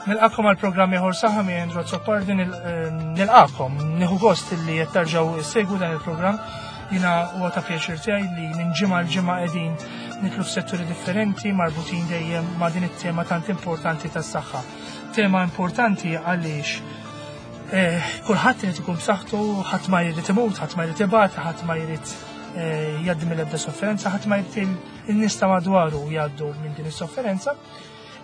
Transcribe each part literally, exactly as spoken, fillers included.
Nilqakom għal programm ieħor saħħa mi Andrew Azzopardi, nilqakom, nieħu gost li qed tarġgħu ssegwu dan il-programm. Jiena huwa ta' pjaċir tiegħi li minn ġimgħa l ġimgħa qegħdin nitlu f'setturi differenti marbutin dejjem ma' din it-tema tant importanti tas-saħħa. Tema importanti għaliex eh, kulħadd irid ikun b'saħħtu, ħadd ma jrid imut, ħadd ma jrid ibati, ħadd ma jrid eh, jgħaddi mill-ebda sofferenza, ħadd ma jrid in-nies ta' madwaru jgħaddu minn din is-sofferenza.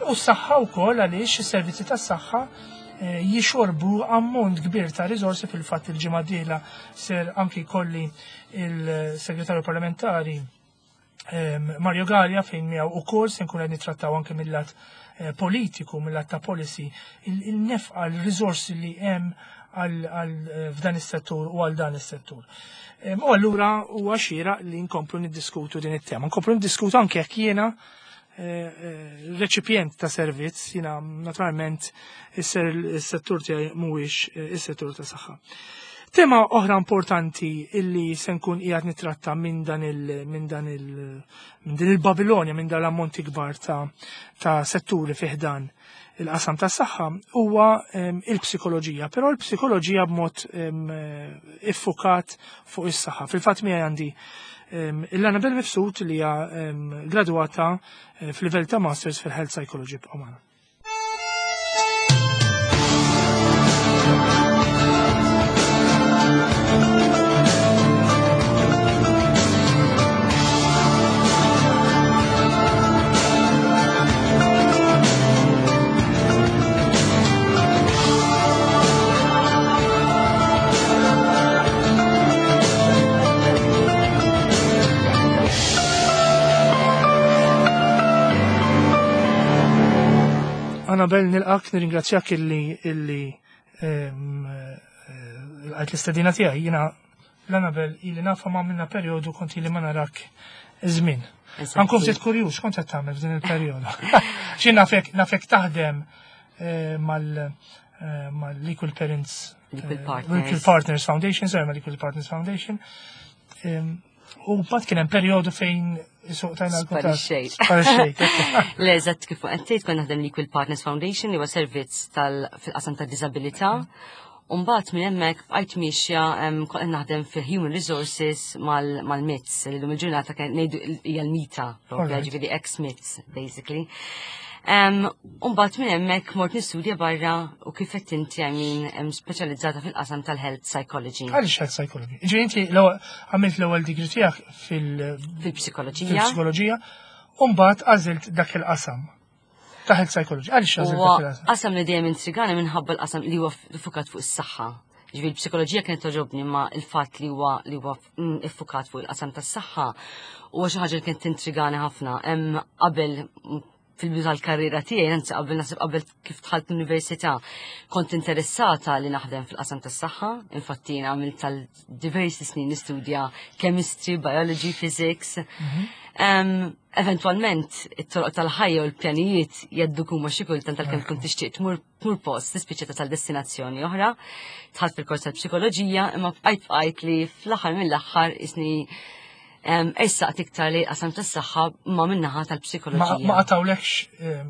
U s-saħħa wkoll għaliex is-servizzi tas-saħħa eh, jixorbu ammont kbir ta' riżorsi. Fil-fatt il-ġimgħa dieħla ser anki jkolli il-segretarju parlamentari ehm, Mario Gallia, fejn miegħu ukoll se nkun qed nittrattaw anke mill-lat eh, politiku, mill-lat ta' policy, il-nefqa, l-riżorsi li hemm għal eh, f'dan is-settur u għal dan is-settur. Ehm, u allura huwa xieraq li nkomplu niddiskutu din it-tema. Nkomplu niddiskutu anke jekk jiena reċipjent ta' servizz, jiena naturalment is-settur tiegħi mhuwiex is-settur ta' saħħa. Tema oħra importanti illi se nkun qiegħed nitratta minn dan il minn dan il minn din il-Babilonja, minn dan l-ammonti kbar ta' ta' setturi fih dan il-qasam tas saħħa huwa il-psikoloġija, però l-psikoloġija b'mod iffukat fuq is-saħħa. Fil-fatt miegħi għandi l-Annabel Mifsud li hija gradwata eh, fil-livell ta' Masters fil-Health Psychology b'Omana. Annabel, nilqak, nirringrazzjak illi illi ehm, eh, għajt l-istedina tiegħi. Jiena l-Annabel illi nafa ma minna perjodu kont ili ma narak żmien. Għankum ftit kurjuż, kont qed tagħmel f'din il-perjodu. Xi nafek nafek taħdem eh, mal eh, mal-Equal Parents Equal Partners. Equal Partners Foundation, sorry, mal-Equal Partners Foundation. Ehm, U mbagħad kien hemm perjodu fejn isuq tajna l-kuntatt. Sparixxejt. Sparixxejt. Le, eżatt kif għedt, kont naħdem l-Equal Partners Foundation li huwa servizz tal fil-qasam ta' disabilità. Umbagħad minn hemmhekk bqajt miexja em, kont qed naħdem fil-Human Resources mal-M I T S, li llum il-ġurnata kien ngħidu hija l-MITA, propja, Alright. ġifieri ex-M I T S, basically. Um, Umbagħad minn hemmhekk mort nistudja barra u kif qed inti, I mean, em, speċjalizzata fil-qasam tal-health psychology. Għaliex health psychology? Ġifieri inti l-ewwel- għamilt l-ewwel degree tiegħek fil- Fil-psikoloġija. fil-psikoloġija, u mbagħad għażilt dak il-qasam ta' health psychology. Għaliex għażilt Huwa dak il-qasam? qasam li dejjem intrigani minħabba l-qasam li huwa ffukat fuq is-saħħa. Ġifieri l-psikoloġija kienet toġobni, ma il-fatt li huwa li huwa mm, iffukat fuq il-qasam tas-saħħa huwa xi ħaġa li kienet tintrigani ħafna. Hemm qabel mm, fil-bidu tal-karriera tiegħi, anzi qabel, naħseb qabel kif dħalt l-università, kont interessata li naħdem fil-qasam tas-saħħa. Infatti jien għamilt tal diversi snin nistudja chemistry, biology, physics. Um, eventualment, it-toroq tal-ħajja u l-pjanijiet jgħaddu kuma xi kultant, tal-kemm tkun tixtieq tmur tmur post, tispiċċa tasal destinazzjoni oħra. Dħalt fil-kors tal-psikoloġija, imma bqajt bqajt li fl-aħħar mill-aħħar isni um, ersaqt iktar li qasam tas-saħħa ma min-naħa Ma tal-psikoloġija. ma qatawlekx ehm,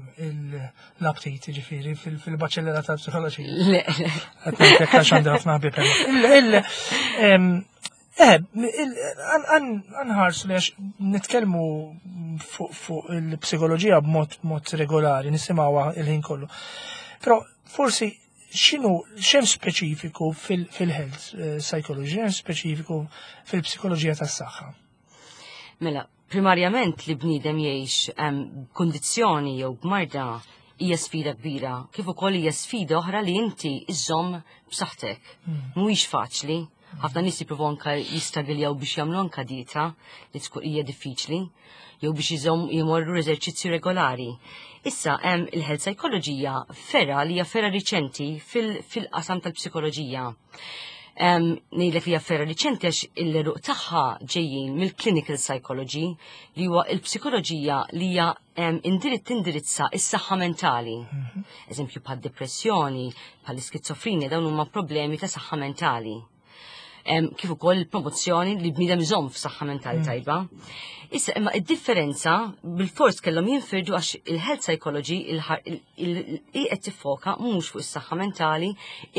l-aptit ġifieri fil-baċellera tal-psikoloġija? Le, le. Qed ngħidlek għax għandi ħafna ħbieb hemm. Il- il- em, Eh, għanħarsu li għax nitkellmu fuq fuq il-psikoloġija b'mod mod regolari, nisimgħuha il-ħin kollu. Però forsi x'inhu x'hemm speċifiku fil-health eh, psychology, x'hemm speċifiku fil-psikoloġija tas-saħħa? Mela, primarjament li bniedem jgħix em, kondizzjoni jew b'marda hija sfida kbira, kif ukoll hija sfida oħra li inti iżżomm b'saħħtek. Mhuwiex faċli. Ħafna nies jippruvaw anke jistragiljaw biex jagħmlu anke dieta li tkun hija diffiċli, jew biex iżomm jmorru eżerċizzju regolari. Issa hemm il-health psychology, fergħa li hija fergħa riċenti fil-qasam tal-psikoloġija. Um, Ngħidlek li hija fergħa riċenti għax il-għeruq tagħha ġejjin mill-clinical psychology, li huwa il-psikoloġija li hija um, indirit tindirizza is-saħħa mentali. Eżempju bħal depressjoni, bħal iskizofrenja, dawn huma problemi ta' saħħa mentali. Kif ukoll il-promozzjoni li bniedem iżomm f'saħħa mentali mm. tajba. Issa, imma id-differenza bil-fors kellhom jinfirdu għax il-health psychology qed tiffoka mhux fuq is-saħħa mentali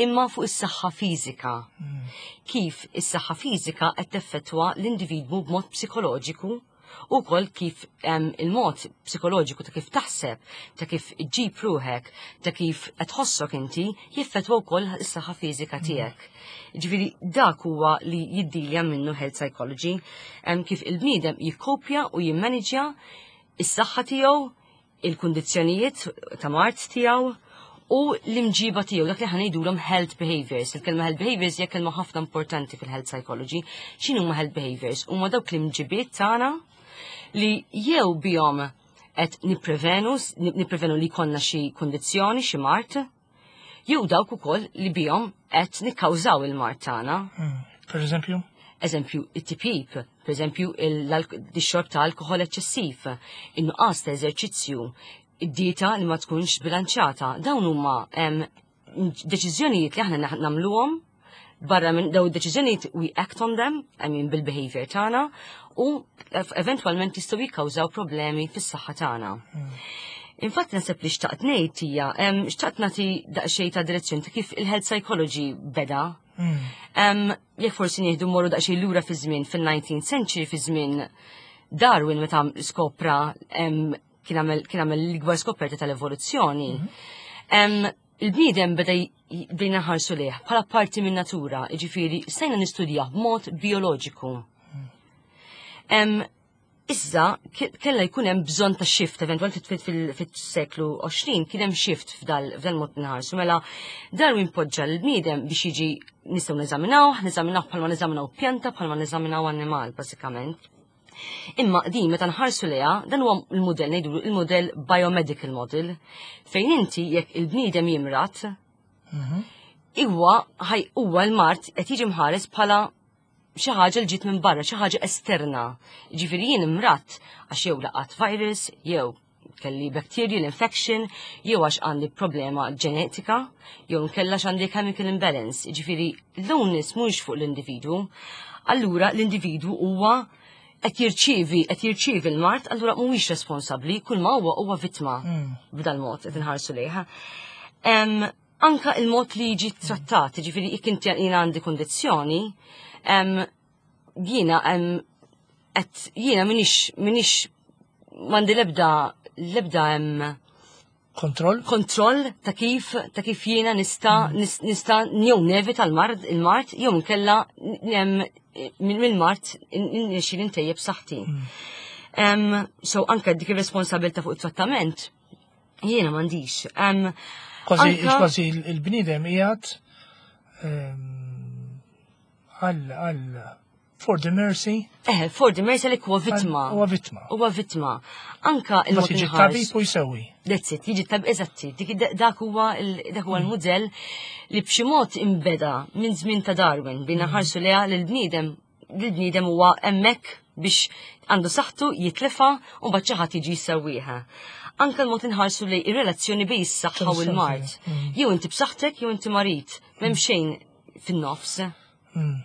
imma fuq is-saħħa fiżika. Mm. Kif is-saħħa fiżika qed teffettwa l-individwu b'mod psikoloġiku u kol kif il-mod psikoloġiku ta' kif taħseb, ta' kif iġġib ruħek, ta' kif qed tħossok inti, jiffettwa wkoll is-saħħa fiżika mm. tiegħek. Ġifieri dak huwa li jiddilja minnu health psychology, kif il-bniedem jikkopja u jimmaniġja is-saħħa tiegħu, il-kundizzjonijiet ta' mard tiegħu u l-imġiba tiegħu, dak li ħa ngħidulhom health behaviors. Il-kelma health behaviors hija kelma ħafna importanti fil-health psychology. X'inhu huma health behaviors? Huma dawk l-imġibiet tagħna li jew bihom qed nipprevenu nipprevenu li jkollna xi kundizzjoni, xi mard, jew dawk ukoll li bihom qed nikkawżaw il-mard tagħna. Hmm. Per eżempju? Eżempju, it-tipjip, per eżempju, il-xorb ta' alkohol eċċessiv, in-nuqqas ta' eżerċizzju, id-dieta li ma tkunx bilanċata. Dawn huma deċiżjonijiet li aħna nagħmluhom barra minn daw id-deċiżjonijiet, we act on them, I mean, bil-behavior tagħna, u eventwalment jistgħu jikkawżaw problemi fis-saħħa tagħna. Hmm. Infatti naħseb li xtaqt ngħid hija xtaqt nagħti daqsxejn ta' direzzjoni ta' kif il-health psychology beda. Hmm. Jekk forsi nieħdu morru daqsxejn lura fi żmien fil-nineteenth century, fi żmien Darwin, meta skopra, kien għamel l-ikbar skoperta tal-evoluzzjoni. Mhm. Il-bniedem beda bdejna nħarsu lejh bħala parti minn natura, jiġifieri stajna nistudjah b'mod bioloġiku. Issa kella jkun hemm bżonn ta' shift, eventwalment fis-seklu għoxrin kien hemm shift f'dal mod nħarsu. Mela Darwin poġġa l-bniedem biex jiġi nistgħu neżaminaw, neżaminaw bħalma neżaminaw pjanta, bħalma neżaminaw annimal, bażikament. Imma din meta nħarsu lejha, dan huwa l-mudell, ngħidu il-mudell biomedical model, fejn inti jekk il-bniedem jimrad, mhm. huwa huwa l-mard qed jiġi mħares bħala xi ħaġa li ġiet minn barra, xi ħaġa esterna. Ġifieri jien imradt għax jew laqat virus, jew kelli bacterial infection, jew għax għandi problema ġenetika, jew nkella għandi chemical imbalance. Ġifieri l-onus mhux fuq l-individwu. Allura l-individwu huwa qed jirċievi qed jirċievi l-mard, allura mhuwiex responsabbli, kull ma huwa huwa vittma hmm. b'dal mod qed inħarsu lejha. Anka il-mod li jiġi trattat, ġifieri jekk inti jiena għandi kondizzjoni, jiena qed jiena minix minix m'għandi l-ebda l-ebda hemm Kontroll? Kontroll ta' kif ta' kif jiena nista mm. nista jew nevita l-mard il-mard jew nkella mill-mard nixi ntejjeb saħħti. Mm. So anka dik ir-responsabilità fuq it-trattament jiena m'għandix. Kważi kważi il-bniedem qiegħed għal għal for the mercy. Eh, for the mercy li huwa vittma. Huwa vittma. Huwa vittma. Anka il-mod jiġi tabib u jsewwi. That's it, jiġi tabib, eżatti. Dak huwa dak huwa l-mudell li b'xi mod imbeda minn żmien ta' Darwin bina mm. ħarsu leha lil bniedem l-bniedem huwa hemmhekk biex għandu saħħtu jitlifa u mbagħad xi ħadd jiġi jsewwieha. Anka l-mod inħarsu li ir-relazzjoni bejn is-saħħa u l-mard. Mm. Jew inti b'saħħtek jew inti marid, m'hemm xejn fin-nofs. Mm.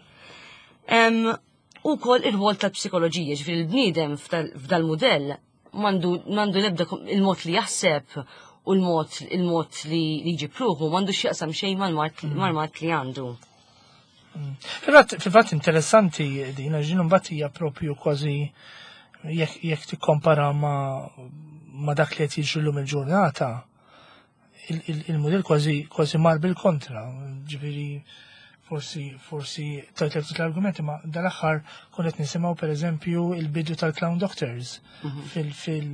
U kol ir-rwol tal-psikoloġija, ġifieri l-bniedem f'dal-modell mandu mandu lebda il-mod li jaħseb u l-mod il-mod li jiġi pruħu mandu x'jaqsam xejn mal-mard mm. mal-mard li għandu. Mm. Fil-fatt interessanti din, għax din mbagħad hija propju kważi jekk tikkompara ma' ma' dak li qed jiġri llum il-ġurnata, il-modell kważi kważi mar bil-kontra, ġifieri forsi forsi tajt l-argumenti, ma dal-aħħar kont nisimgħu, per eżempju, il-bidu tal-clown doctors mhm. fil fil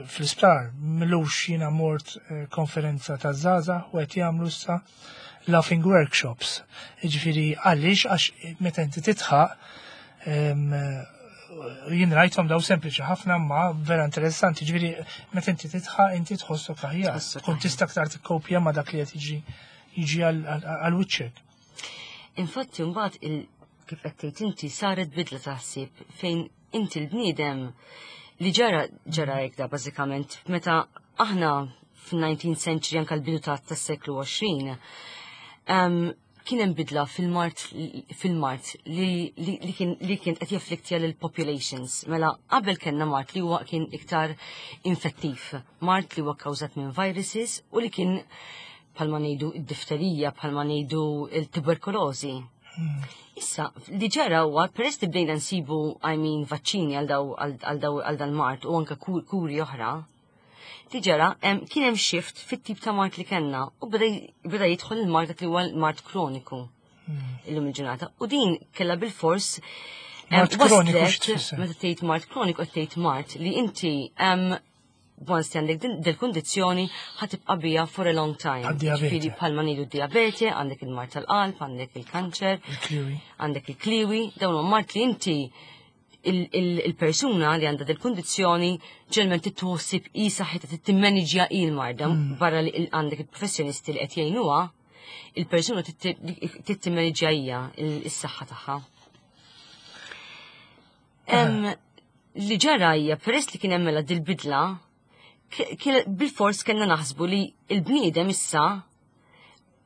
fl-isptar. M'ilux jiena mort eh, konferenza ta' żgħażagħ u qed jagħmlu issa laughing workshops. Ġifieri għaliex? Għax meta inti tidħaq, jien rajthom daw, sempliċi ħafna ma vera interessanti, ġifieri meta inti tidħaq inti tħossok aħjar. Kont tista' aktar tikkopja ma' dak li qed jiġi jiġi għal wiċċek. Infatti mbagħad il kif qed tgħid inti saret bidla taħsib fejn inti l-bniedem li ġara ġara hekk da bażikament meta aħna fin-nineteenth century, anke l-bidu tas-seklu għoxrin, Kien hemm bidla fil-mard fil-mard li, li, li kien li kien qed jaffliktja lil populations. Mela qabel kellna mard li huwa kien iktar infettiv, mard li huwa kkawżat minn viruses u li kien, bħalma ngħidu id-difterija, bħalma ngħidu il-tuberkulożi. Issa, li ġara huwa peress li bdejna nsibu, I mean, vaċċini għal daw għal daw għal dan mard u anke kuri oħra, li ġara kien hemm shift fit-tip ta' mard li kellna u beda jidħol il-mard dak li huwa l-mard kroniku hmm. illum il-ġurnata. U din kellha bil-fors Mard kroniku? Meta tgħid mard kroniku, qed tgħid mard li inti once li għandek dil-kundizzjoni, ħa tibqa' biha for a long time. Ġifieri bħalma ngħidu diabete, għandek il-mard tal-qalb, għandek il-kanċer, għandek il-kliwi, dawn mard li inti il-persuna li għandha dil-kundizzjoni ġeneralment titħossib i saħħitha, timmaniġja il-marda mm. barra li għandek il-professjonisti li qed jgħinuha, il-persuna tittimmaniġja hija is-saħħa tagħha. Li ġara hija, peress li kien hemm mela dil-bidla, bil-fors kellna naħsbu li il-bniedem issa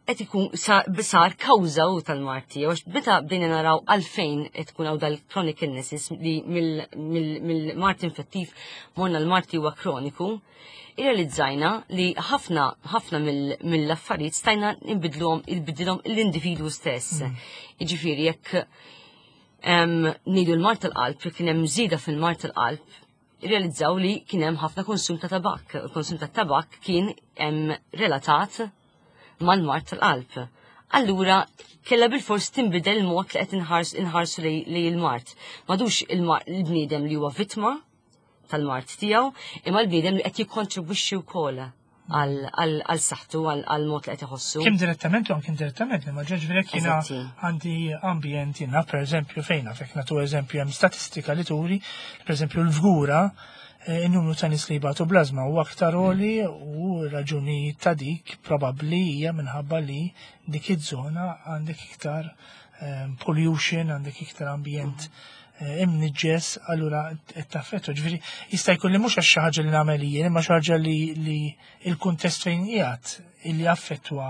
qed ikun sar kawża u tal-mard, għax meta bdejna naraw għalfejn qed tkun hawn dal-chronic illnesses, li mill-mard infettiv morna l-mard li huwa kroniku, irrealizzajna li ħafna ħafna mill-affarijiet stajna nbidluhom, il-bidilhom l-individwu stess. Mm. Jiġifieri jekk ngħidu l-mard tal-qalb, kien hemm żieda fil-mard tal-qalb, realizzaw li kien hemm ħafna konsum ta' tabak. Il-konsum ta' tabak kien relatat mal-mard tal-qalb. Allura, kella bil-fors tinbidel il-mod li qed inħarsu li il-mard. M'għadux il-bniedem li huwa vittma tal-mard tiegħu, imma l-bniedem li qed jikkontribwixxi wkoll għal saħħtu, għal mod li qed iħossu. Kemm direttament u anke indirettament, imma ġifieri jiena għandi ambjent jiena, per eżempju, fejna, fek nagħtu eżempju, hemm statistika li turi, per eżempju, l-Fgura, eh, il-numru ta' nies li jbatu bl-ażma u aktar għoli, u raġuni ta' dik probabbli hija minħabba li dik iż-żona għandek iktar eh, pollution, għandek iktar ambjent eh, imniġġes, allura qed taffettwa. Ġifieri jista' jkun li mhux għax xi ħaġa li nagħmel jien, imma xi ħaġa li li il-kuntest fejn qiegħed illi affettwa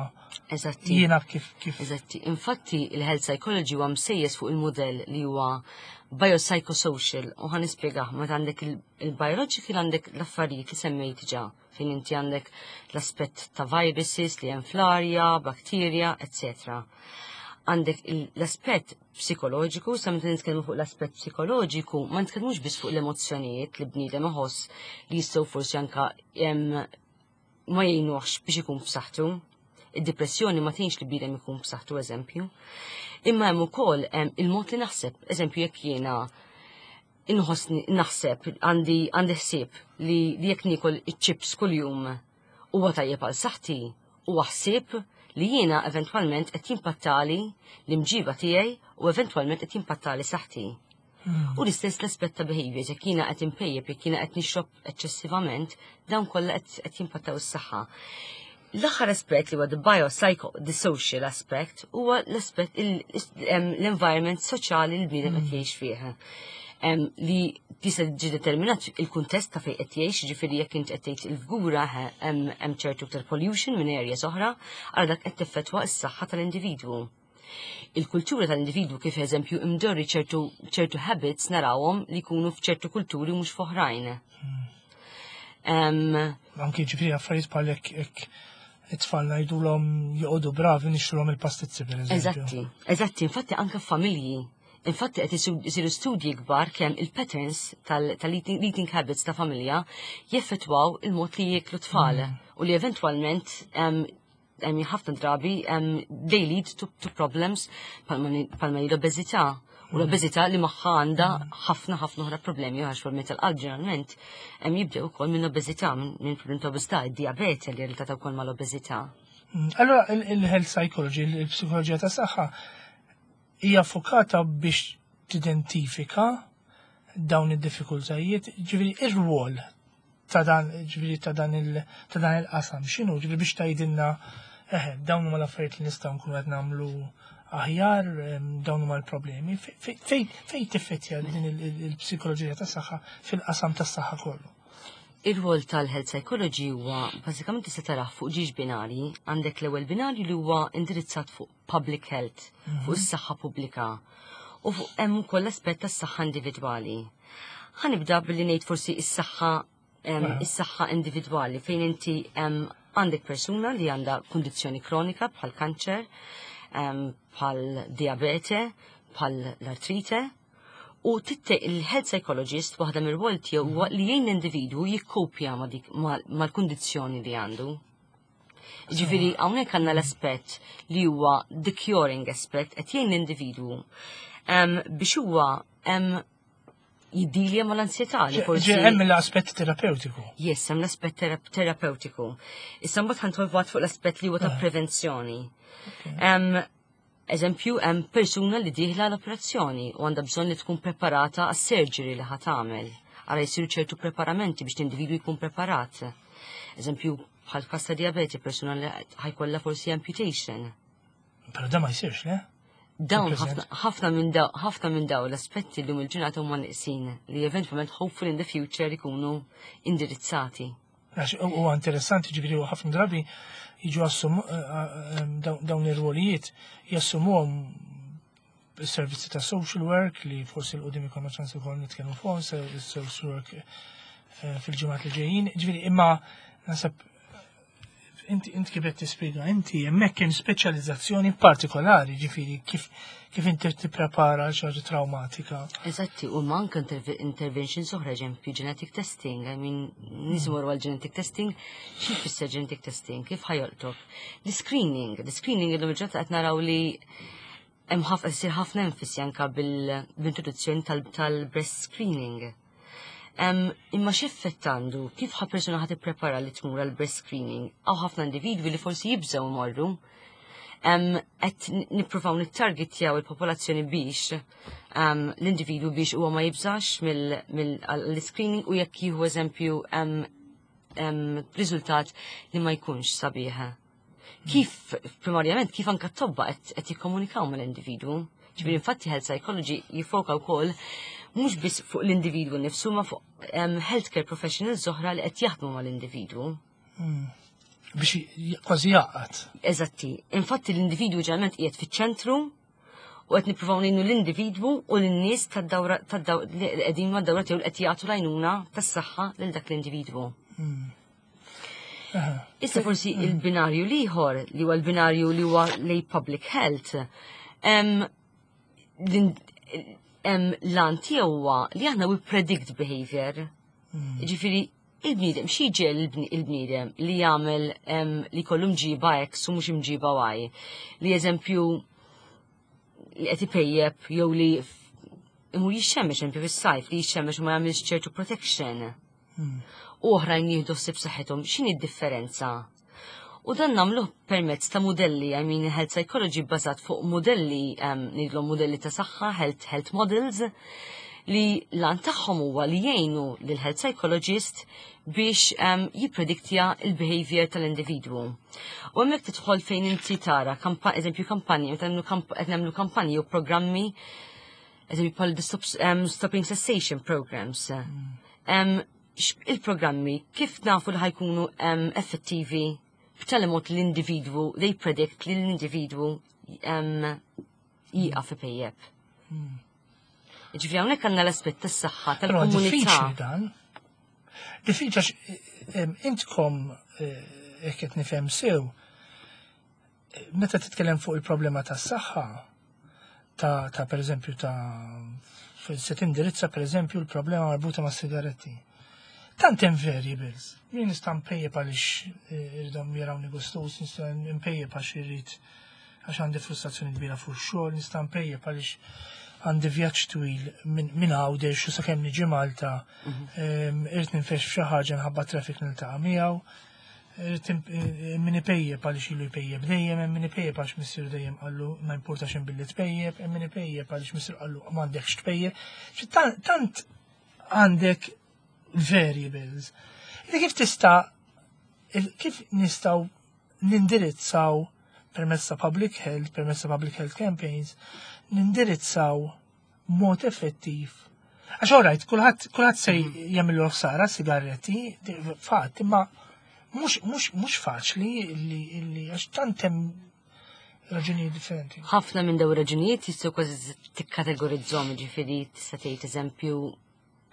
Eżatti. jiena kif kif. Eżatti. Infatti, il-health psychology huwa msejjes fuq il-modell li huwa biopsychosocial u ħa nispjegah. Meta għandek il-biological, għandek l-affarijiet li semmejt ġa, fejn inti għandek l-aspett ta' viruses li hemm fl-arja, bakterja, eccetera. Għandek l-aspett psikoloġiku. Sa meta nitkellmu fuq l-aspett psikoloġiku, ma nitkellmux biss fuq l-emozzjonijiet li bniedem iħoss li jistgħu forsi anka ma jgħinuhx biex ikun b'saħħtu. Id-depressjoni ma tgħinx li bniedem ikun b'saħħtu, eżempju. Imma hemm ukoll il-mod li naħseb, eżempju, jekk jiena inħossni naħseb, għandi għandi ħsieb li jekk niekol iċ-chips kuljum huwa tajjeb għal saħħti, huwa ħsieb li jiena eventwalment qed jimpattali l-imġiba tiegħi u eventwalment qed jimpattali saħħti. Hmm. U l-istess l-aspett ta' behaviors, jekk jiena qed impejjep, jekk jiena qed nixrob eċċessivament, dawn kollha qed jimpattaw is-saħħa. L-aħħar aspett li huwa the biopsycho, the social aspect, huwa l-aspett l-environment soċjali li l-bniedem qed hmm. jgħix fih. Li tista' ġi determinat il-kuntest ta' fejn qed jgħix, ġifieri jekk inti qed tgħid il-Fgura, hemm ċertu iktar pollution minn areas oħra, għal dak qed tiffettwa s-saħħa tal-individwu. Il-kultura tal-individwu, kif eżempju imdorri ċertu ċertu habits narawhom li jkunu f'ċertu kulturi mhux f'oħrajn. Hmm. Anki ġifieri affarijiet bħal hekk, it-tfal ngħidulhom joqogħdu bravi, nixtrulhom il-pastizzi, per eżempju. Eżatti, eżatti, infatti anke familji. Infatti qed isiru studji kbar kemm il-patterns tal-eating habits ta' familja jeffettwaw il-mod li jieklu tfal mm. u li eventwalment ħafna drabi they lead to, to problems bħalma l-obeżità. U l-obeżità li magħha għandha ħafna ħafna oħra problemi, għax problemi tal-qalb ġeneralment jibdew ukoll minn obeżità, minn problemi ta' obeżità, id-diabete li relatata wkoll mal-obeżità. Mm, allora il-health psychology, il-psikoloġija ta' saħħa, hija fokata biex tidentifika dawn id-diffikultajiet, ġifieri ir-rwol ta' dan, ġifieri ta' dan il-qasam, x'inhu, ġifieri biex tgħidilna eħe, dawn huma l-affarijiet li nistgħu nkunu qed nagħmlu aħjar, dawn huma l-problemi. Fejn tiffettja din il-psikoloġija ta' saħħa fil-qasam tas-saħħa kollu? Ir-rwol tal-health psychology huwa bażikament tista' tarah fuq żewġ binari. Għandek l-ewwel binarju li huwa indirizzat fuq public health, fuq is-saħħa pubblika. U fuq hemm ukoll l-aspett tas-saħħa individwali. Ħa nibda billi ngħid forsi is-saħħa em, is-saħħa individwali, fejn inti em, għandek persuna li għandha kundizzjoni kronika bħal kanċer, em, bħal diabete, bħal l-artrite, u titte il-health psychologist, waħda mir-rwol tiegħu huwa li jgħin l-individwu jikkopja ma' dik ma- mal-kundizzjoni li għandu. Ġifieri hawnhekk għandna l-aspett li huwa the curing aspect, qed jgħin l-individwu em, biex huwa em, jiddilja mal-ansjetà li forsi. Ġe hemm l-aspett terapeutiku. Yes, hemm l-aspett terap terapeutiku. Issa mbagħad ħa nidħol fuq l-aspett li huwa ta' prevenzjoni. Em, Eżempju, hemm persuna li dieħla l-operazzjoni u għandha bżonn li tkun preparata għas-surgery li ħa tagħmel. Ara jsiru ċertu preparamenti biex l-individwu jkun preparat. Eżempju, bħal każ ta' diabete, persuna li ħa jkollha forsi amputation. Però da ma jsirx, le? Dawn Fil-preżent. ħafna ħafna minn daw ħafna minn daw l-aspetti li il-ġurnata huma neqsin li eventwalment, hopefully in the future, ikunu indirizzati. Għax huwa interessanti, ġifieri u ħafna drabi jiġu assum eh, eh, dawn dawn ir-rwolijiet jassumuhom is-servizzi ta' social work, li forsi 'l quddiem ikollna ċans ukoll nitkellmu fuq social work eh, fil-ġimgħat li ġejjin. Ġifieri imma naħseb inti inti kif qed tispjega inti, hemmhekk hemm speċjalizzazzjoni partikolari, ġifieri kif kif inti tipprepara għal xi ħaġa traumatika. Eżatti, u manka interve interventions oħra, eżempju, genetic testing. I mean, nies imorru għal genetic testing, xi jfisser genetic testing, kif ħa jolqtok? L-screening, l-screening illum il-ġurnata qed naraw li hemm ħafna ssir ħafna enfasi anka bil-introduzzjoni tal-breast screening. Em, imma x'effett għandu? Kif ħa persuna ħa tipprepara li tmur għal breast screening? Hawn ħafna individwi li forsi jibżgħu imorru. Em, Qed nippruvaw nittargetjaw il-popolazzjoni biex em, l-individwu biex huwa ma jibżax mill-screening u jekk jieħu, eżempju, em, em, riżultat li ma jkunx sabiħ. Kif, primarjament, kif anka t-tobba qed qed jikkomunikaw mal-individwu? Ġifieri infatti health psychology jifoka wkoll mhux biss fuq l-individwu nifsu, ma fuq um, healthcare professionals oħra li qed jaħdmu mal-individwu. Biex j- kważi jaqgħad. Eżatti. Infatti l-individwu ġeneralment qiegħed fiċ-ċentru u qed nippruvaw ngħinu l-individwu u lin-nies tad-dawra tad-daw li qegħdin mad-dawra tiegħu li qed jagħtu l-għajnuna tas-saħħa lil dak l-individwu. Issa forsi il-binarju l-ieħor, li huwa l-binarju li huwa lej public health, em, l- em, l-għan tiegħu huwa li aħna we predict behavior. Ġifieri, il-bniedem, xi ġiegħel il-bniedem li jagħmel em, li kollu mġiba X u mhux mġiba Y? Li, eżempju, li qed ipejjeb jew li f- imur jixxemmex, eżempju fis-sajf, li jixxemmex u ma jagħmilx ċertu protection. U oħrajn jieħdu ħsieb saħħithom, x'inhi d-differenza? U dan nagħmluh permezz ta' modelli, I mean, health psychology bbażat fuq modelli, um, ngħidlhom modelli ta' saħħa, health, health models, li l-għan tagħhom huwa li jgħinu lil health psychologist biex um, jipprediktja il-behavior tal-individwu. U hemmhekk tidħol fejn inti tara, kampa, eżempju kampanji, meta nagħmlu kamp- qed nagħmlu kampanji u programmi, eżempju bħal the stop, um, stopping cessation programs. Um, x- il-programmi kif nafu li ħa jkunu um, effettivi b'tali mod l-individwu, they predict li l-individwu um, jieqaf ipejjeb? Ġifieri hawnhekk għandna l-aspett tas-saħħa Però tal-komunità. Diffiċli dan. Diffiċli għax em, intkom, eh, jekk qed nifhem sew, eh, meta titkellem fuq il-problema tas-saħħa ta' ta' per eżempju ta' se tindirizza, per eżempju, l-problema marbuta ma' sigaretti. Tant hemm variables. Jien nista' npejjep għaliex eh, irridhom jarawni gustus, nista' npejjep għax irrid, għax għandi frustrazzjoni kbira fuq xogħol, nista' npejjep għaliex għandi vjaġġ twil minn min Għawdex u sakemm niġi Malta em, irrid ninfex f'xi ħaġa nħabba traffic niltaqa' miegħu. Irrid imp- eh, min ipejjep għaliex ilu jpejjep dejjem, hemm min ipejjep għax missieru dejjem qallu ma importax hemm billi tpejjep, hemm min ipejjep għaliex missieru qallu m'għandekx tpejjep. Xi tant- Tant għandek variables. Ida kif tista' il- kif nistgħu nindirizzaw permezz ta' public health, permezz ta' public health campaigns, nindirizzaw mod effettiv Għax alright, kulħadd kulħadd se jagħmlu ħsara sigaretti, fatt, imma mhux mhux mhux faċli li li għax tant hemm raġunijiet differenti. Ħafna minn dawn raġunijiet jistgħu kważi tikkategorizzhom, ġifieri tista' tgħid, eżempju,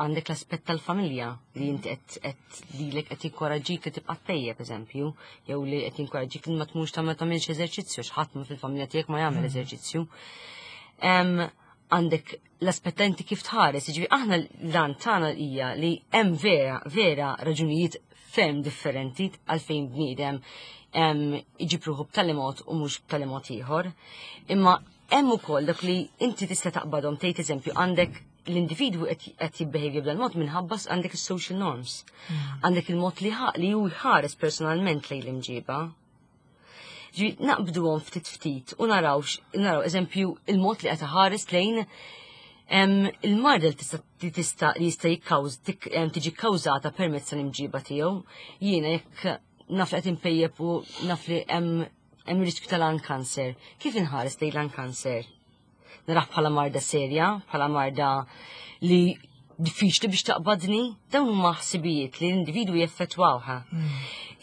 għandek l-aspett tal-familja li inti qed qed lilek qed jinkoraġġik li tibqa' tpejjep, eżempju, jew li qed jinkoraġġik li ma tmurx tagħmel tagħmilx eżerċizzju għax ħadd fil-familja tiegħek ma jagħmel eżerċizzju. Em, Għandek l-aspett ta' inti kif tħares, ġifieri aħna l-għan tagħna hija li hemm vera, vera raġunijiet ferm differenti għalfejn bniedem em, iġib ruħu b'tali mod u mhux b'tali mod ieħor. Imma hemm ukoll dak li inti tista' taqbadhom, tgħid, eżempju, għandek l-individwu qed qed jibbehejvja b'dan mod minħabba għandek is-social norms. Għandek il-mod li ħa- li hu jħares personalment lejn l-imġiba. Ġi naqbduhom ftit ftit u naraw naraw eżempju il-mod li qed ħares lejn em, il-marda li tista' li tista' li jista' jikkawż tik- em, tiġi kkawżata permezz tal-imġiba tiegħu. Jiena jekk naf li qed impejjep u naf li hemm hemm riskju tal-lung cancer. Kif inħares lejn lung cancer? Narah bħala marda serja, bħala marda li diffiċli biex taqbadni, dawn huma ħsibijiet li l-individwu jeffettwawha.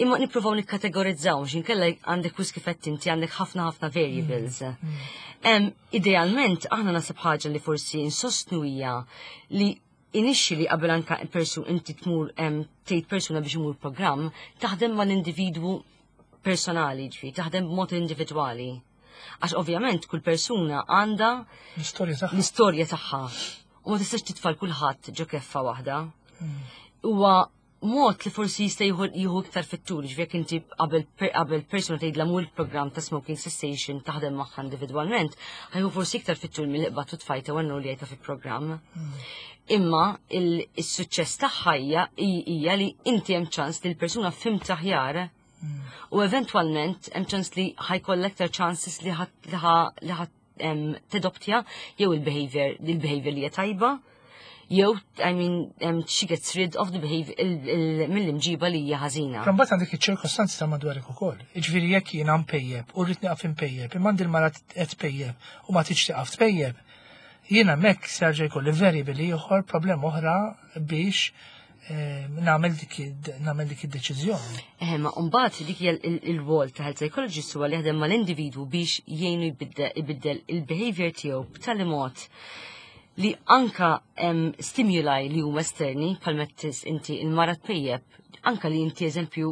Imma nippruvaw nikkategorizzaw, x'inkella għandek wis kif qed inti għandek ħafna ħafna variables. Em, idealment, aħna nasib ħaġa li forsi insostnu hija li initially qabel anka persu inti tmur em, tgħid persuna biex imur programm, taħdem mal-individwu personali, ġifieri, taħdem b'mod individwali. Għax ovvjament kull persuna għandha L-istorja tagħha. l-istorja tagħha. U ma tistax titfa' lil kulħadd ġo keffa waħda. Huwa mod li forsi jista' jieħu jieħu iktar fit-tul, ġifieri jekk inti qabel qabel persuna tgħidla mur il-programm ta' smoking cessation taħdem magħha individwalment, ħa jieħu forsi iktar fit-tul milli qbadt u tfajtha u li fi programm. Imma il-suċċess tagħha hija hija li inti hemm ċans li l-persuna fhimt aħjar u eventwalment hemm ċans li ħa jkollha aktar chances li ħa li ħa li ħa em, tadoptja jew il-behavior il-behavior li hija tajba jew, I mean, um, she gets rid of the behavior mill-imġiba li hija ħażina. Però mbagħad għandek iċ-ċirkostanzi ta' madwarek ukoll. Jiġifieri jekk jiena mpejjeb u rrid nieqaf impejjeb, imma għandi l-mara qed tpejjeb u ma tridx tieqaf tpejjeb, jiena hemmhekk se jerġa' jkolli variable ieħor, problema oħra biex eh, nagħmel dik nagħmel dik id-deċiżjoni. Eh, ma mbagħad dik hija il-rwol ta' health psychologist, huwa li jaħdem mal-individwu biex jgħinu jbiddel ibiddel il-behavior tiegħu b'tali mod li anka em, stimuli li huma esterni, bħal mettis inti il-mara tpejjeb, anka li inti, eżempju,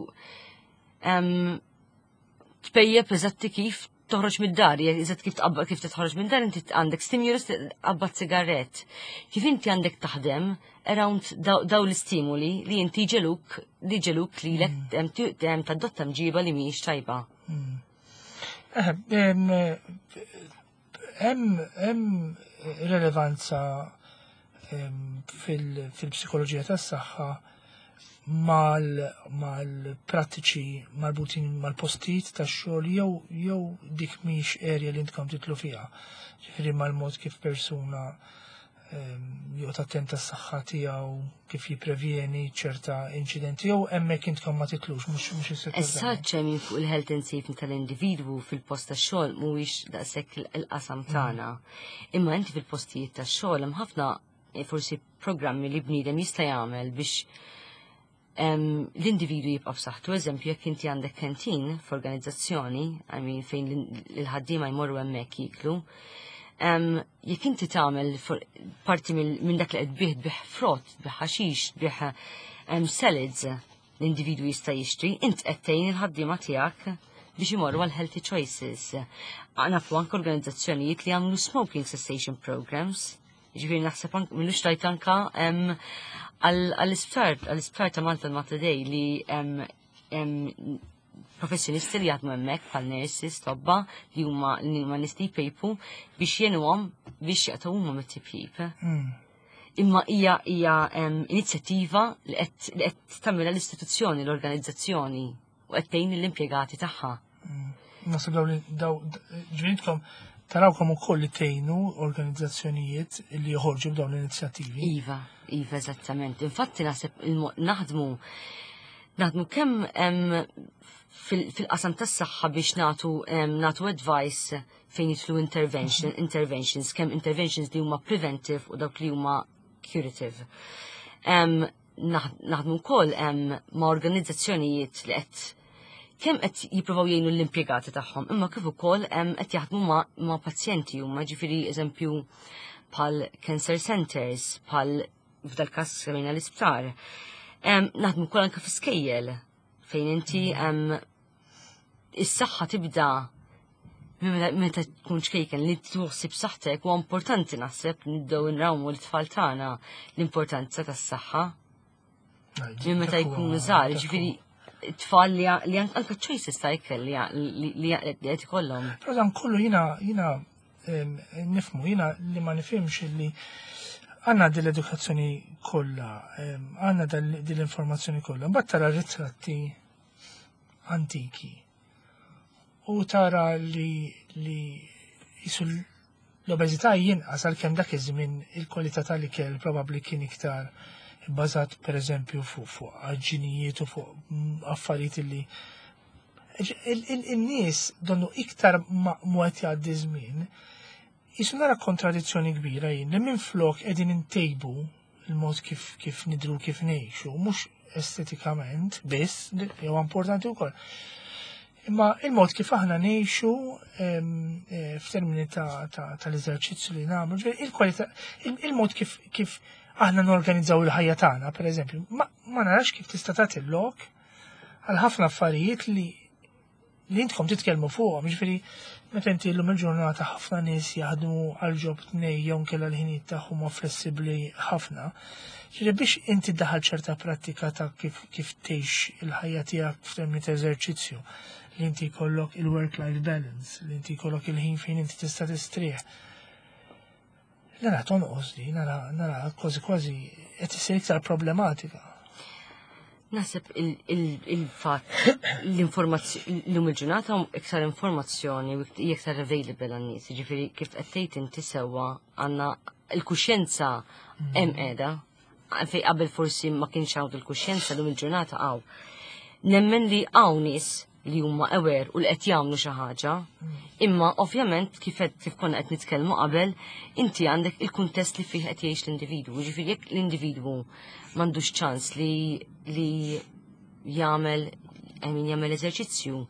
em, tpejjeb eżatti kif toħroġ mid-dar, eżatt kif tqabba kif titħroġ mid-dar inti għandek stimulus, tqabbad sigarett. Kif inti għandek taħdem around daw, daw l-istimuli li inti ġeluk li ġeluk li lek mm. tadotta mġiba li mhijiex tajba. Eh, em, Hemm hemm relevanza em, fil- fil-psikoloġija tas-saħħa mal-prattiċi marbutin mal-postijiet tax-xogħol jew jew dik mhix area li intkom tidħlu fiha? Ġifieri mal-mod kif persuna em, joqgħod attent tas-saħħa tiegħu, kif jipprevjeni ċerta inċidenti, jew hemmhekk intkom ma tidħlux, mhux mhux is-settur Issa tagħna? ċemin fuq il-health and safety tal-individwu fil-post tax-xogħol mhuwiex daqshekk il-qasam tagħna. Imma inti fil-postijiet tax-xogħol hemm ħafna eh, forsi programmi li bniedem jista' jagħmel biex em, l-individwu jibqa' b'saħħtu. Eżempju, jekk inti għandek canteen f'organizzazzjoni, I mean, fejn l-ħaddiema jmorru hemmhekk jiklu, em, jekk inti tagħmel for- parti mill- minn dak li qed tbigħ tbigħ frott, tbigħ ħaxix, tbigħ em, salads, l-individwu jista' jixtri, int qed tgħin il-ħaddiema tiegħek biex imorru għal healthy choices. Nafu anke organizzazzjonijiet li għamlu smoking cessation programs. Ġifieri naħseb anke m'ilux tajt anka em, għall- għall-isptar għall-isptar ta' Malta, Mater Dei, li em, em, professjonisti li jaħdmu hemmhekk bħal nurses, tobba li huma li huma nies li jpejpu biex jgħinuhom biex jaqtgħu huma mit-tipjip. Mm. Imma hija hija em, inizjattiva li qed li qed tagħmilha l-istituzzjoni, l-organizzazzjoni, u qed tgħin l-impjegati tagħha. Naħseb daw li daw ġifieri intkom tarawkom ukoll li tgħinu organizzazzjonijiet li joħorġu b'dawn l-inizjattivi. Iva, iva, eżattament. Infatti naħseb il-mo- naħdmu naħdmu kemm em, fil- fil-qasam tas-saħħa biex nagħtu em, nagħtu advice fejn jidħlu intervention, interventions, kemm interventions li huma preventive u dawk li huma curative. Naħdmu wkoll ma' organizzazzjonijiet li qed kemm qed jippruvaw jgħinu l-impjegati tagħhom, imma kif ukoll qed jaħdmu ma', ma pazjenti huma, ġifieri eżempju bħal cancer centers, bħal f'dal każ semmejna l-isptar. Naħdmu wkoll anke fi fejn inti is-saħħa tibda meta tkun ċkejken li tħossib saħħtek huwa importanti. Naħseb nibdew nrawmu l-tfal tagħna l-importanza tas-saħħa. Minn meta jkunu żgħar, ġifieri tfal li anke choices ta' ikel li qed ikollhom. Però dan kollu jiena jiena nifhmu, jiena li ma nifhimx li għandna din l-edukazzjoni kollha, għandna din l-informazzjoni kollha, mbagħad tara ritratti antiki u tara li li jisu l-obeżità jinqas, għalkemm dak iż-żmien il-kwalità tal-ikel probabbli kien iktar bbażat, pereżempju, fuq fuq għaġġinijiet u fuq affarijiet li il-nies donnu iktar ma qed jgħaddi żmien. Jisu nara kontradizzjoni kbira jien li minn flok qegħdin intejbu il-mod kif kif nidru, kif ngħixu, mhux estetikament biss, jew importanti wkoll. Imma il-mod kif aħna ngħixu eh, f'termini tal-eżerċizzju li nagħmlu, il-kwalità, il-mod kif kif aħna norganizzaw il-ħajja tagħna, pereżempju, ma, ma narax kif tista' tagħti lok għal ħafna affarijiet li li intkom titkellmu fuqhom. Ġifieri meta inti llum il-ġurnata ħafna nies jaħdmu għal job tnej jew nkella l-ħinijiet tagħhom huma flessibbli ħafna. Ġifieri biex inti daħal ċerta prattika ta' kif kif tgħix il-ħajja tiegħek f'termini ta' eżerċizzju, li inti jkollok il-work-life balance, li inti jkollok il-ħin fejn inti tista' tistrieħ. Nara tonqos di, nara nara kważi kważi qed isir iktar problematika. Naħseb il-fatt l-informazzjoni l-lum il-ġurnata iktar informazzjoni u iktar available għan-nies, ġifieri kif qed tgħid inti sewwa, għandna il-kuxjenza hemm qiegħda fej qabel forsi ma kienx hawn il-kuxjenza, lum il-ġurnata hawn. Nemmen li hawn nies li huma aware u li qed jagħmlu xi ħaġa, imma ovvjament kif qed kif konna qed nitkellmu qabel, inti għandek il-kuntest li fih qed jgħix l-individwu. Ġifieri jekk l-individwu m'għandux ċans li li jagħmel, I mean, jagħmel eżerċizzju,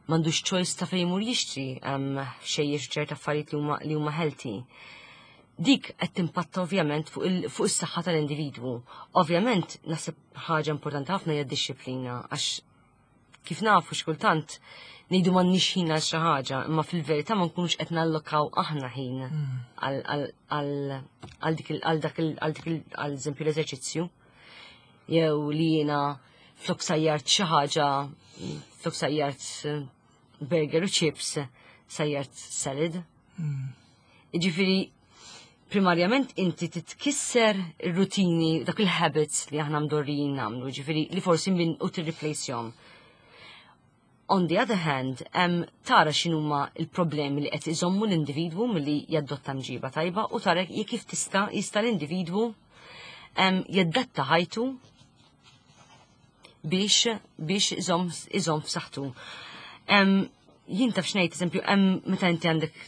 m'għandux choice ta' fejn imur jixtri xejjex ċerta affarijiet li huma li huma healthy. Dik qed timpatta ovvjament fuq il- fuq is-saħħa tal-individwu. Ovvjament naħseb ħaġa importanti ħafna hija d-dixxiplina, għax kif nafu xkultant ngħidu m'għandniex ħin għal xi ħaġa, imma fil-verità ma nkunux qed nallokaw aħna ħin għal dik għal dak għal dik għal eżempju l-eżerċizzju. Jew li jiena flok sajjart xi ħaġa, flok sajjart burger u chips, sajjart salad. Jiġifieri primarjament inti titkisser ir-rutini, dak il-habits li aħna mdorrijin nagħmlu, ġifieri li forsi minn u tirreplace-jhom. On the other hand, um, tara x'inhuma il-problemi li qed iżommu l-individwu milli jaddotta mġiba tajba u tara jekk kif tista' jista' l-individwu um, jaddatta ħajtu biex biex iżomm iżomm f'saħħtu. Um, jien taf x'ngħid, eżempju, hemm meta inti għandek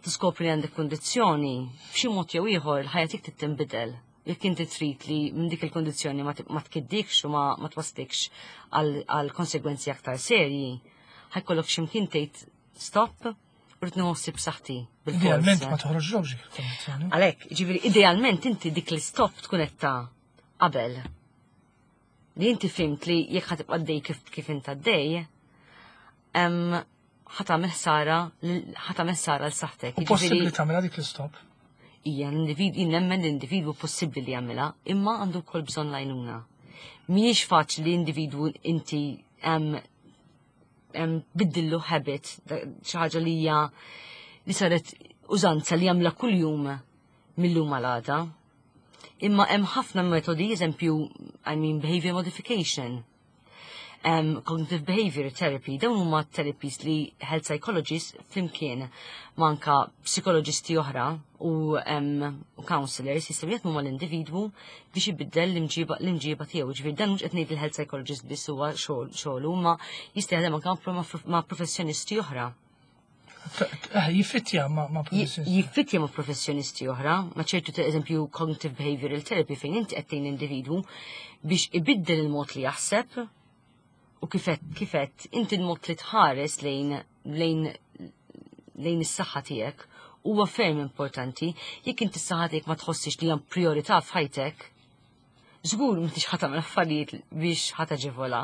tiskopri li għandek kondizzjoni, b'xi mod jew ieħor il-ħajja tiegħek trid tinbidel. Jekk inti trid li minn dik il-kondizzjoni ma tkiddikx u ma twaslikx għal konsegwenzi aktar serji, ħa jkollok x'imkien tgħid stop, rrid nħossib saħħti. Idealment ma toħroġ dik il-kondizzjoni. Għalhekk, ġifieri idealment inti dik l-stop tkun qed ta' qabel. Li inti fhimt li jekk ħa tibqa' dej kif kif int għaddej, ħa tagħmel ħsara ħa tagħmel ħsara l saħħtek. U possibbli tagħmilha dik l-istop? Ija, l-individwu, nemmen l-individwu possibbli li jagħmilha, imma għandu wkoll bżonn l-għajnuna. Mhijiex faċli li individwu inti biddillu habit, xi ħaġa li hija li saret użanza li jagħmilha kuljum mill-lum għal Imma hemm ħafna metodi, eżempju, I mean, behavior modification, um, cognitive behavior therapy, dawn huma therapies li health psychologists flimkien ma' anka psikoloġisti oħra u um, counselors jistgħu jaħdmu mal-individwu biex ibiddel l-imġiba l-imġiba tiegħu. Ġifieri dan mhux qed ngħid il-health psychologist biss huwa xogħol xogħlu, ma jista' jaħdem anke ma' professjonisti oħra. Eh, jiffittja ma' ma' professjonisti. Jiffittja ma' professjonisti oħra, ma' ċertu ta' eżempju cognitive behavioral therapy fejn inti qed tgħin individwu biex ibiddel il-mod li jaħseb u kifet kifet inti l-mod li tħares lejn lejn lejn is-saħħa tiegħek huwa ferm importanti. Jekk inti s-saħħa tiegħek ma tħossix li hemm priorità f'ħajtek, żgur m'intix ħa tagħmel affarijiet biex ħa taġevola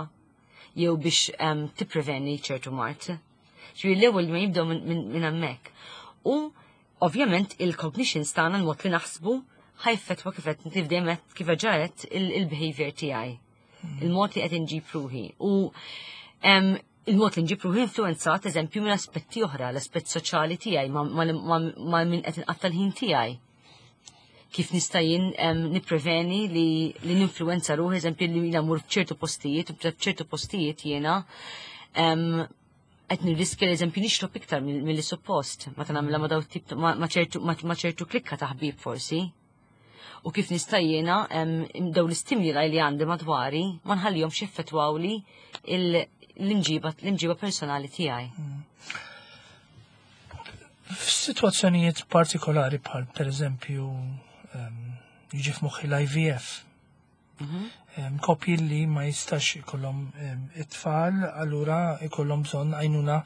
jew biex em, tippreveni ċertu mard. Ġifieri l-ewwel ma jibdew minn min, min hemmhekk. U ovvjament il-cognitions tagħna, l-mod li naħsbu, ħa jeffettwa kif qed kif dejjem qed- kif ġaret il-behavior tiegħi. Il-mod li qed inġib ruħi. U em, il-mod li nġib ruħi influenzat eżempju minn aspetti oħra, l-aspett soċjali tiegħi ma, ma, ma, ma min qed inqatta' l-ħin tiegħi. Kif nista' jien em, nippreveni li, li ninfluenza ruħi, eżempju li jiena mur f'ċertu postijiet, u f'ċertu postijiet jiena em, qed nirriskja l-eżempju nixrob iktar mill- milli suppost, meta nagħmilha ma' daw tip ta' ma' ma' ċertu ma' ma' ċertu klikka ta' ħbieb forsi. U kif nista' jiena em, daw l-istimuli li għandi madwari ma nħallihomx jeffettwawli il- l-imġiba l-imġiba personali tiegħi. F'sitwazzjonijiet partikolari bħal per eżempju em, jiġi f'moħħi l-I V F. Em, Koppji li ma jistax ikollhom em, it-tfal, allura ikollhom bżonn għajnuna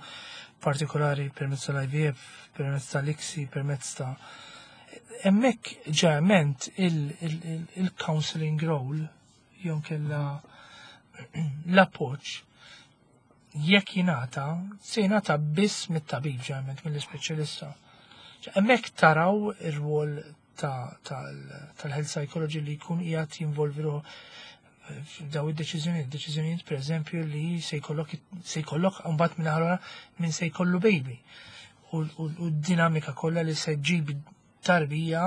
partikolari permezz tal-I V F, permezz tal-I C S I, permezz ta' hemmhekk ġeneralment il-counseling role jew kella l-appoġġ jekk jingħata, se jingħata biss mit-tabib ġeneralment, mill-ispeċjalista. Hemmhekk taraw ir-rwol tal-health psychology li jkun qiegħed jinvolvi ruħu daw id-deċiżjonijiet, deċiżjonijiet per eżempju li se jkollok se jkollok mbagħad minn ħarora minn se jkollu baby. U d-dinamika kollha li se ġib tarbija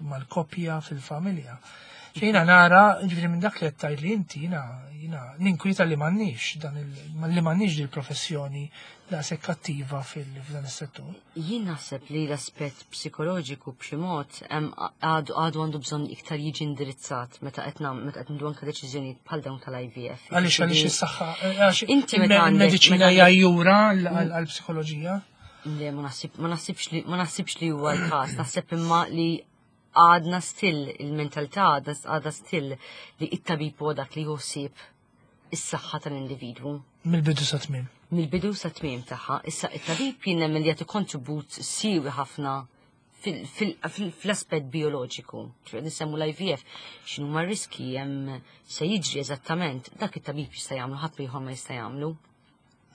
mal-koppja fil-familja. Jiena nara, ġifieri minn dak li qed li inti, jiena jiena ninkwieta li m'għandniex dan li m'għandniex dil-professjoni daqshekk attiva fil-dan is-settur. Jien naħseb li l-aspett psikoloġiku b'xi mod għadu għadu għandu bżonn iktar jiġi indirizzat meta qed meta qed nieħdu anke deċiżjonijiet bħal dawn tal-I V F. Għaliex għaliex is-saħħa għax Inti meta il-mediċina hija jura għall-psikoloġija? Le, ma naħsibx li ma naħsibx li huwa l-każ, naħseb imma li għadna still il-mentalità għadha still li it-tabib huwa dak li jħossib is-saħħa tal-individwu. Mill-bidu sa tmiem. Mill-bidu sa tmiem tagħha. Issa it-tabib jien nemmen li jagħti kontribut siewi ħafna fl-aspett bioloġiku. Ġifieri nisemmu l-I V F, x'inhu ma riski hemm se jiġri eżattament, dak it-tabib jista' jagħmlu, ħadd ieħor ma jista' jagħmlu.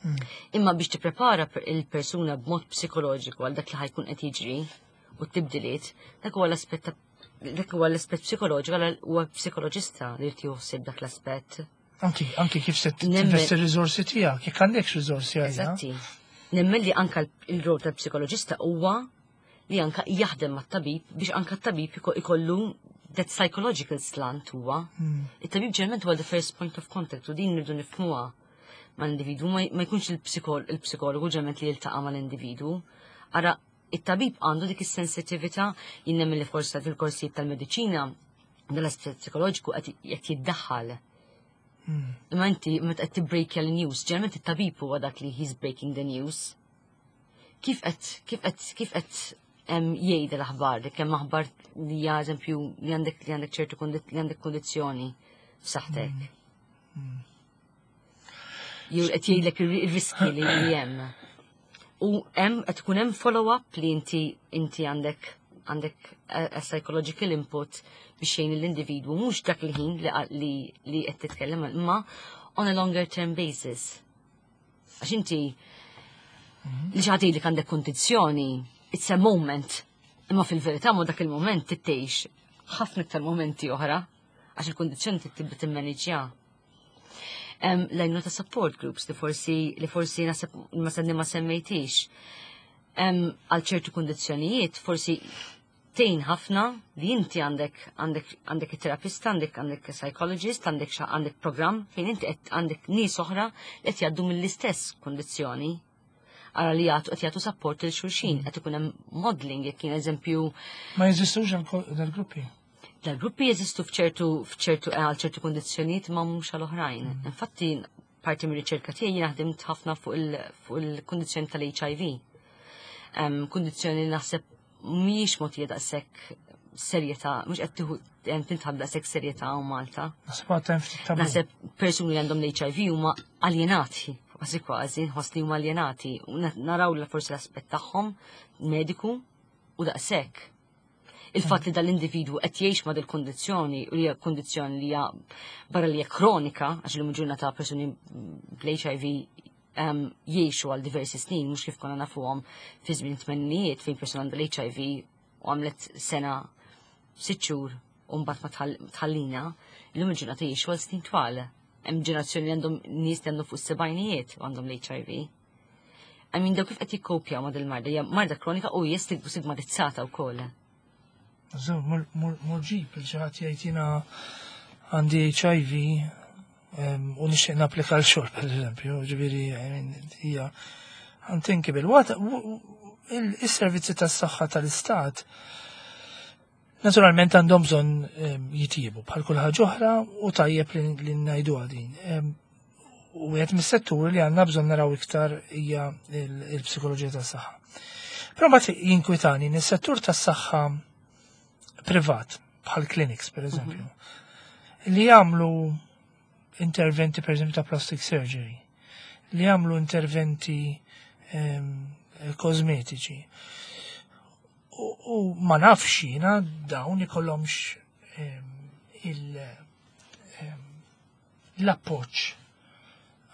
Hmm. Imma biex tipprepara il-persuna b'mod psikoloġiku għal dak li ħa jkun qed jiġri u t-tibdiliet, dak huwa l-aspett dak huwa l-aspett psikoloġiku, huwa psikoloġista li jrid joħsib dak l-aspett. Anki, anki kif se tinvesti r-riżorsi tiegħek, jekk għandek riżorsi għalija. Eżatti. Nemmen li anka il-rol tal-psikoloġista huwa li anka jaħdem mat-tabib biex anka t-tabib ikollu that psychological slant huwa. Hmm. It-tabib ġeneralment huwa the first point of contact u din nirdu nifhmuha mal-individwu, ma jkunx il-psikologu ġeneralment li jiltaqa' mal-individwu. Ara, it-tabib għandu dik is-sensitività. Jien nemmen li forsi fil-korsijiet tal-mediċina dal-aspett psikoloġiku qed jiddaħħal. Imma inti meta qed tibbrejkja l-news, ġeneralment it-tabib huwa dak li he's breaking the news. Kif qed kif qed kif qed jgħid l-aħbar li kemm aħbar li hija eżempju li għandek li għandek ċertu li għandek kondizzjoni f'saħħtek. Jew qed jgħidlek ir-riski li hemm. U hemm qed tkun hemm follow-up li inti inti għandek għandek a, a psychological input biex jgħin l-individwu mhux dak il-ħin li li li qed titkellem imma on a longer term basis. Għax inti li xi ħadd li għandek kondizzjoni, it's a moment. Imma fil-verità ma dak il-moment tittejx ħafna iktar momenti oħra għax il-kondizzjoni tibda timmaniġġja. L-għajnuna ta' support groups li forsi li forsi naħseb ma senni ma semmejtix. Għal ċertu kondizzjonijiet forsi tgħin ħafna li inti għandek għandek għandek il-terapista, għandek għandek psychologist, għandek għandek program fejn inti qed għandek nies oħra li qed jgħaddu mill-istess kondizzjoni. Ara li jagħtu qed jagħtu support lil xulxin, qed ikun hemm modeling jekk kien eżempju. Ma jeżistux dal-gruppi? Dal-gruppi jeżistu f'ċertu f'ċertu għal ċertu kondizzjonijiet ma mhux għal oħrajn. Infatti Parti mir-riċerka tiegħi jiena ħdimt ħafna fuq il-kundizzjoni tal-H I V. Kundizzjoni li naħseb mhijiex mogħtija daqshekk serjetà, mhux qed tieħu tinħab daqshekk serjetà hawn Malta. Naħseb għadha ftit tabu. Naħseb persuni li għandhom l-H I V huma aljenati, kważi kważi, nħoss li huma aljenati. U naraw la forsi l-aspett tagħhom mediku u daqshekk. Il-fatt li dal-individwu qed jgħix ma' dil-kondizzjoni u li hija kondizzjoni li hija barra li hija kronika, għax illum ġurnata persuni bl-H I V um, jgħixu għal diversi snin, mhux kif konna nafuhom fi żmien tmeninijiet fejn persuna għandha l-H I V u għamlet sena, sitt xhur u mbagħad ma tħallina, illum il-ġurnata jgħixu għal snin twal. Hemm ġenerazzjoni li għandhom nies li għandhom fuq is-sebgħinijiet u għandhom l-H I V. I mean, daw kif qed jikkopjaw ma' dil-marda, hija marda kronika u hija stigmatizzata wkoll. Mur ġib lil xi ħadd jgħid jiena għandi H I V u nixtieq napplika l-xogħol, per eżempju, ġifieri, hija unthinkable. Il-servizzi tas-saħħa tal-istat naturalment għandhom bżonn jitjiebu bħal kull ħaġa oħra u tajjeb li ngħidu din. U għed mis-settur li għandna bżonn naraw iktar hija il-psikoloġija tas-saħħa. Però mbagħad jinkwitani is-settur tas-saħħa privat, bħal clinics per eżempju, li jagħmlu interventi, per eżempju, ta' plastic surgery, li jagħmlu interventi kosmetiċi. U ma nafx jiena dawn ikollhomx il l-appoġġ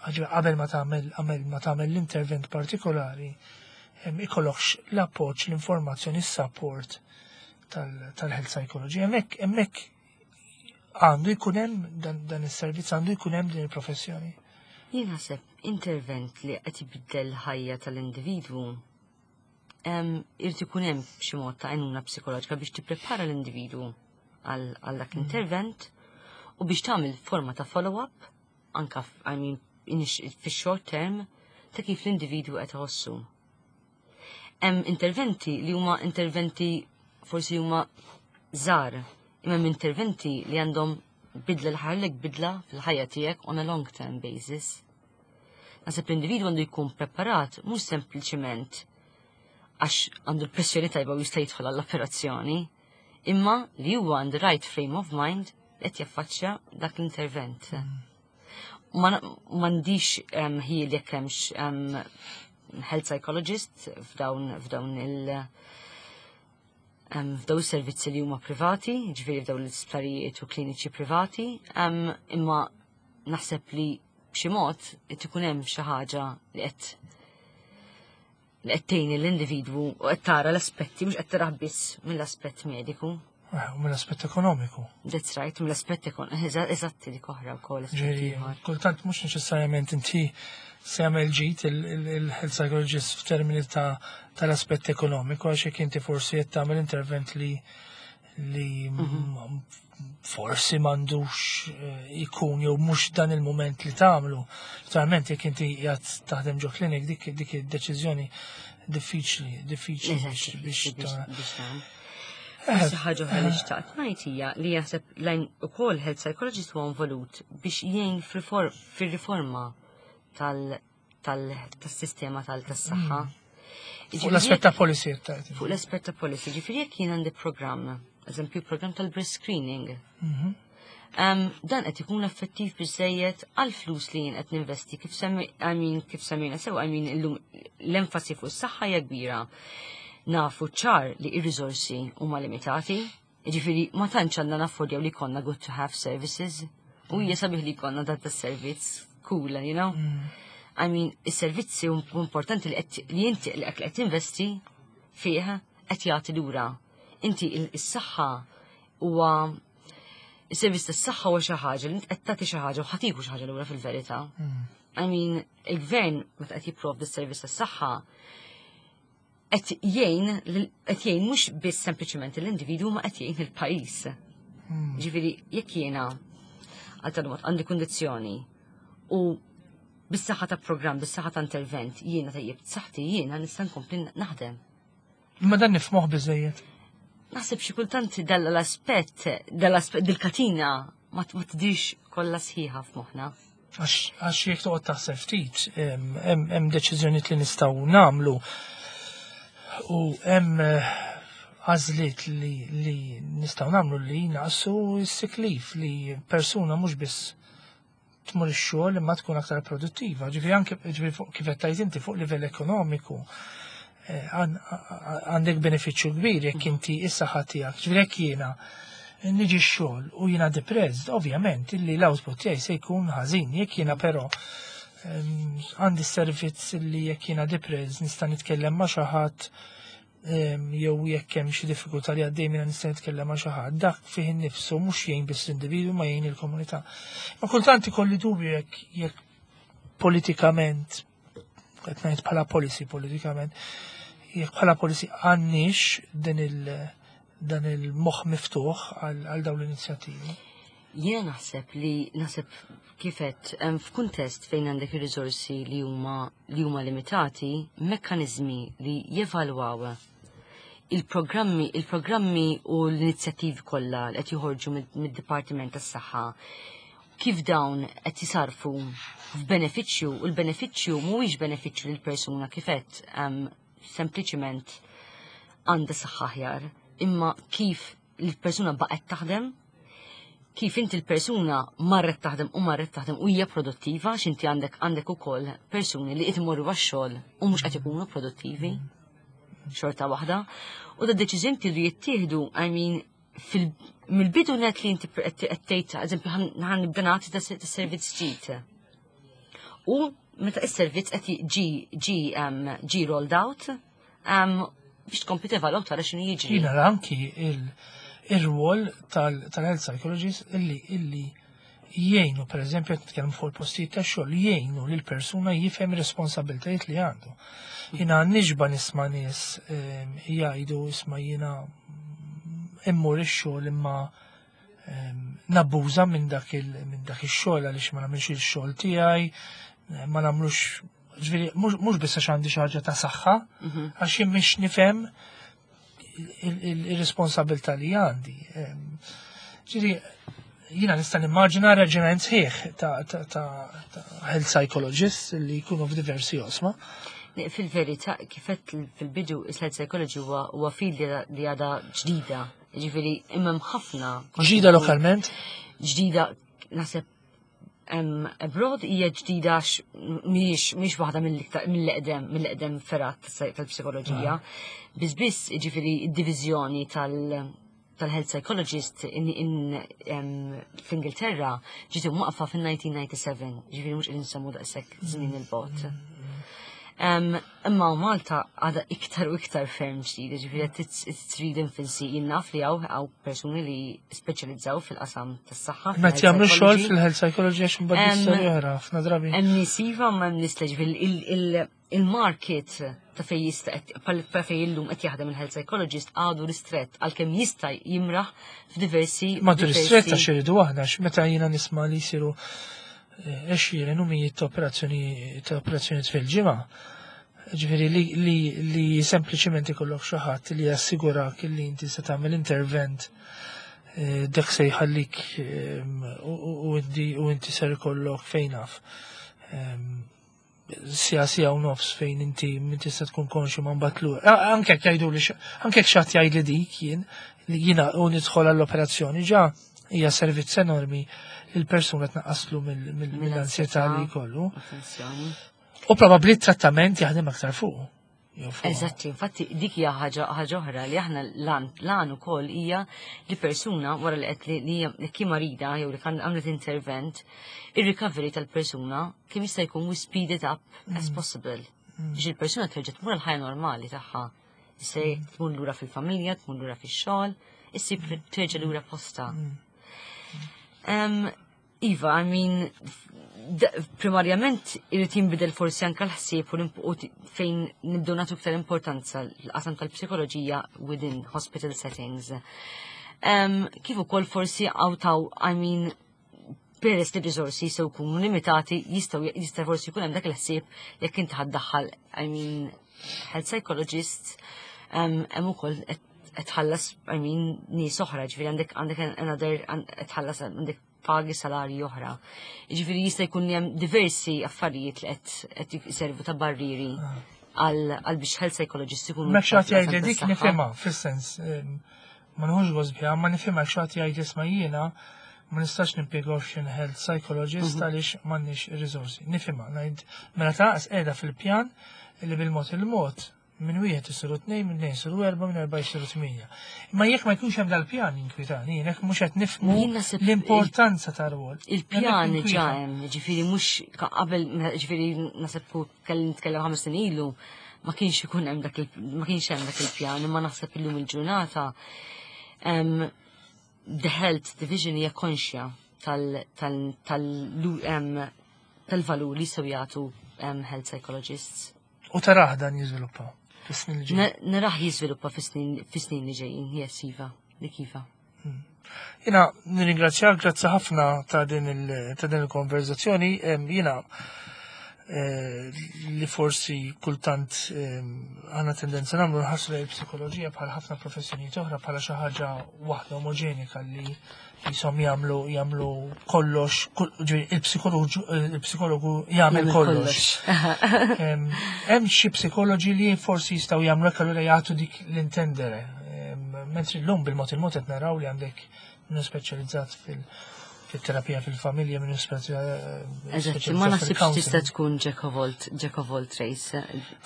qabel ma tagħmel qabel ma tagħmel l-intervent partikolari, ikollokx l-appoġġ, l-informazzjoni, s-support tal-health psychology. Hemmhekk hemmhekk għandu jkun hemm dan is-servizz, għandu jkun hemm din il-professjoni. Jien naħseb intervent li qed ibiddel ħajja tal-individwu irid ikun hemm b'xi mod ta' għajnuna psikoloġika biex tipprepara l-individwu għal dak l-intervent u biex tagħmel forma ta' follow-up anka, I mean, fix-short term ta' kif l-individwu qed iħossu. Hemm interventi li huma interventi forsi huma żgħar, imma hemm interventi li għandhom bidla l-ħarlek bidla fil-ħajja tiegħek on a long term basis. Naħseb l-individwu għandu jkun preparat mhux sempliċiment għax għandu l-pressjoni tajba u jista' jidħol għall-operazzjoni, imma li huwa għandu right frame of mind qed jaffaċċja dak l-intervent. M'għandix ħjiel jekk hemmx health psychologist f'dawn f'dawn il- f'daw is-servizzi li huma privati, ġifieri f'daw l-isptarijiet u kliniċi privati, imma naħseb li b'xi mod qed ikun hemm xi ħaġa li qed li qed tgħin l-individwu u qed tara l-aspetti, mhux qed tarah biss mill-aspett mediku. Eh, u mill-aspett ekonomiku. That's right, mill-aspett ekonomiku. Eżatti, dik oħra wkoll. Ġifieri, kultant mhux neċessarjament inti se jagħmel ġid il-health psychologist f'termini ta' tal-aspett ekonomiku, għax jekk inti forsi qed tagħmel intervent li li mhm. forsi m'għandux eh, ikun jew mhux dan il-moment li tagħmlu. Naturalment jekk inti qiegħed taħdem ġo klinik, dik dik id-deċiżjoni diffiċli, diffiċli biex Xi ħaġa oħra li xtaqt ngħid hija li jaħseb lajn ukoll health psychologist huwa involut biex jgħin fir-riforma tas-sistema tal-saħħa. Fuq l-aspett ta' policy. Fuq l-aspett ta' policy, ġifieri jekk jien għandi programm, eżempju program tal-breast screening. Mhm. Um, dan qed ikun effettiv biżejjed għal flus li jien qed ninvesti? Kif semmi, I mean, kif semmejna sew, I mean, illum l-enfasi fuq is-saħħa hija kbira. Nafu ċar li ir-riżorsi huma limitati, jiġifieri ma tantx għandna naffordjaw li konna good to have services. U hija sabiħ li jkollna dat servizz cool, you know? Mm. I mean, is-servizzi importanti li qed li inti li qed investi fih qed jagħti lura. Inti is-saħħa huwa is-servizz tas-saħħa huwa xi ħaġa li inti qed tagħti xi ħaġa u ħa tieħu xi ħaġa lura fil-verità. Mm. I mean, il-gvern meta qed jipprovdi s-servizz tas-saħħa qed jgħin qed jgħin mhux biss sempliċement l-individwu ma qed jgħin il-pajjiż. Hmm. Ġifieri jekk jiena għal tal-mod għandi kundizzjoni u bis-saħħa ta' programm, bis-saħħa ta' intervent, jiena tajjeb saħħti, jiena nista' nkompli naħdem. Imma dan nifhmuh biżejjed. Naħseb xi kultant dal-aspett, dal-aspett dil-katina ma tidhirx kollha sħiħa f'moħħna. Għax jekk toqgħod taħseb ftit, hemm deċiżjonijiet li nistgħu nagħmlu u hemm eh, għażliet li, li nistgħu nagħmlu li naqsu s-sick leave, li persuna mhux biss tmur ix-xogħol imma tkun aktar produttiva. Ġifieri anke, ġifieri kif qed tgħid inti, fuq livell ekonomiku eh, għandek benefiċċju kbir jekk inti is-saħħa tiegħek. Ġifieri jekk jiena niġi x-xogħol u jiena depressed, ovvjament illi l-output tiegħi se jkun ħażin. Jekk jiena però għandi servizz li jekk jiena depressed nista' nitkellem ma' xi ħadd, jew jekk hemm xi diffikultà li għaddej minna nista' nitkellem ma' xi ħadd, dak fih innifsu mhux jgħin biss l-individwu ma jgħin il-komunità. Ma kultant ikolli dubju jekk jekk politikament, qed ngħid bħala policy politikament, jekk bħala policy għandniex din il- dan il-moħ miftuħ għal dawn l-inizjattivi. Jiena naħseb li naħseb kifet f'kuntest fejn għandek ir-riżorsi li huma li huma limitati, mekkaniżmi li jevalwaw il-programmi il-programmi u l-inizjattivi kollha li qed joħorġu mid-Dipartiment tas-Saħħa, kif dawn qed jisarfu f'benefiċċju, u l-benefiċċju mhuwiex benefiċċju lil persuna kifet sempliċiment għandha saħħa aħjar, imma kif il-persuna baqgħet taħdem, kif inti l-persuna marret taħdem u marret taħdem u hija produttiva, x'inti għandek għandek ukoll persuni li qed imorru għax-xogħol u mhux qed ikunu produttivi xorta waħda. U da deċiżjoni li jittieħdu, I mean, mill-bidu net li inti qed tgħid, eżempju, ħa nibda nagħti ta' servizz ġdid. U meta is-servizz qed ġi ġi ġi rolled out biex tkompli tevalwaw, tara x'inhu jiġri. Jiena anki il-rwol tal-health psychologist illi illi jgħinu, per eżempju, nitkellmu fuq il-postijiet ta' xogħol, jgħinu lil persuna jifhem ir-responsabbiltajiet li għandu. Jiena nixba nisma' nies ehm, jgħidu, "Isma', jiena immur ix-xogħol imma ehm, nabbuża minn dak ix-xogħol għaliex ma nagħmilx ix-xogħol tiegħi, ma nagħmlux, ġifieri mhux biss għax għandi xi ħaġa ta' saħħa, mhm. għax jien mhix nifhem il-responsabilità li għandi." Ehm, ġifieri, jiena nista' nimmaġina reġiment sħiħ ta' health psychologists li jkunu f'diversi oqsma. Fil-verità, kifet fil-bidu, is-health psychology huwa field li għada ġdida. Ġifieri, imma ħafna. Ġdida lokalment? Ġdida, naħseb abroad hija ġdida, mhijiex mhijiex waħda mill-eqdem mill-eqdem fergħat tal-psikoloġija. Ah. Biss biss ġifieri id-diviżjoni tal- tal-health psychologist fl-Ingilterra ġiet imwaqfa fil-elf disa' mija u disgħa u disgħin, ġifieri mhux qegħdin nsemmu daqshekk żmien il-bogħod. Imma Malta għada iktar u iktar ferm ġdida, ġifieri it's really infancy. Jien naf li hawn hawn persuni li speċjalizzaw fil-qasam tas-saħħa. Meta jagħmlu xogħol fil-health psychology, għax imbagħad istorja oħra ħafna drabi. Hemm nies iva, ma hemm nies, ġifieri il-market ta' fej jista' pa fej illum qed jaħdem il-health psychologist għadu ristret, għalkemm jista' jimraħ f'diversi. Ma ristret għax iridu aħna, meta jiena nisma' li jsiru eh, għexieren u mijiet ta' operazzjoni ta' operazzjoni fil-ġimgħa. Ġifieri li, li, li sempliċiment ikollok xi ħadd li jassigurak li inti se tagħmel intervent eh, dak se jħallik eh, u u inti ser ikollok fejn naf siegħa, siegħa u nofs fejn inti min tista' tkun konxu ma mbagħad lura. Anke jekk jgħidu li anke jekk xi ħadd jgħid li dik jien li jiena u nidħol għall-operazzjoni ġa hija servizz enormi li l-persuna tnaqqaslu mill-ansjetà li jkollu. U probabbli t-trattament jaħdem aktar fuq. Eżatti, infatti dik hija ħaġa oħra li aħna lan ukoll hija li persuna wara li qed li li marida jew li kan għamlet intervent, ir-recovery tal-persuna kemm jista' jkun we speed it up as mm. possible. Mm. Biex il-persuna terġa' tmur l-ħajja normali tagħha. Se mm. tmur lura fil-familja, tmur lura fix-xogħol, issib terġa' lura posta. Iva, I mean, primarjament irid jinbidel forsi anke l-ħsieb u fejn nibdew nagħtu iktar importanza l-qasam tal-psikoloġija within hospital settings. Um, kif ukoll forsi għawtaw, I mean, peress li risorsi jistgħu jkunu limitati, jistgħu jista' forsi jkun hemm dak il-ħsieb jekk inti ħa ddaħħal, I mean, health psychologist, hemm ukoll qed tħallas, I mean, nies oħra, ġifieri għandek għandek another qed tħallas, għandek pagi, salarji oħra. Ġifieri jista' jkun hemm diversi affarijiet li qed qed jiservu ta' barriri għal għal biex health psychologist ikunu. Mek xi ħadd jgħid li dik nifhimha, fis-sens, em, ma nħux gost biha, ma nifhimha xi ħadd jgħid, "Isma', jiena ma nistax nimpjega option health psychologist għaliex m'għandniex ir-riżorsi." Nifhimha, ngħid mela taqas qiegħda fil-pjan li bil-mod il-mod minn wieħed isiru tnejn, minn tnejn isiru erba', minn erba' isiru tmienja. Imma jekk ma jkunx hemm dal-pjan jinkwitani, jekk mhux qed nifhmu Jien naħseb l-importanza tar-rwol. Il-pjan Hemmhekk ġa ninkwita. hemm, ġifieri mhux qabel, ġifieri naħseb ku kelli nitkellem ħames snin ilu, ma kienx ikun hemm dak il ma kienx hemm dak il-pjan, imma naħseb illum il-ġurnata em, the health division hija konxja tal tal tal em, tal-valur li jistgħu jagħtu em, health psychologists. U tarah dan jiżviluppa fis-snin li ġejjin? Na- Narah jiżviluppa fis-snin fis-snin li ġejjin, yes, iva, dik iva. Jiena nirringrazzjak, grazzi ħafna ta' din il- ta' din il-konverzazzjoni. Em, Jiena eh, li forsi kultant em, għandna tendenza nagħmlu nħassu lejn il-psikoloġija bħal ħafna professjonijiet oħra bħala xi ħaġa waħda omogenika li jisom jagħmlu jagħmlu kollox, kull- ġifieri il-psikologu il-psikologu jagħmel kollox. Em, Hemm xi psikoloġi li forsi jistgħu jagħmlu hekk, allura jagħtu dik l-intendere. Em, Mentri llum bil-mod il-mod qed naraw li għandek minnu speċjalizzat fil- fil-terapija fil-familja, minnu Eżatt, ma naħsibx tista' tkun jack of all, jack of all trades.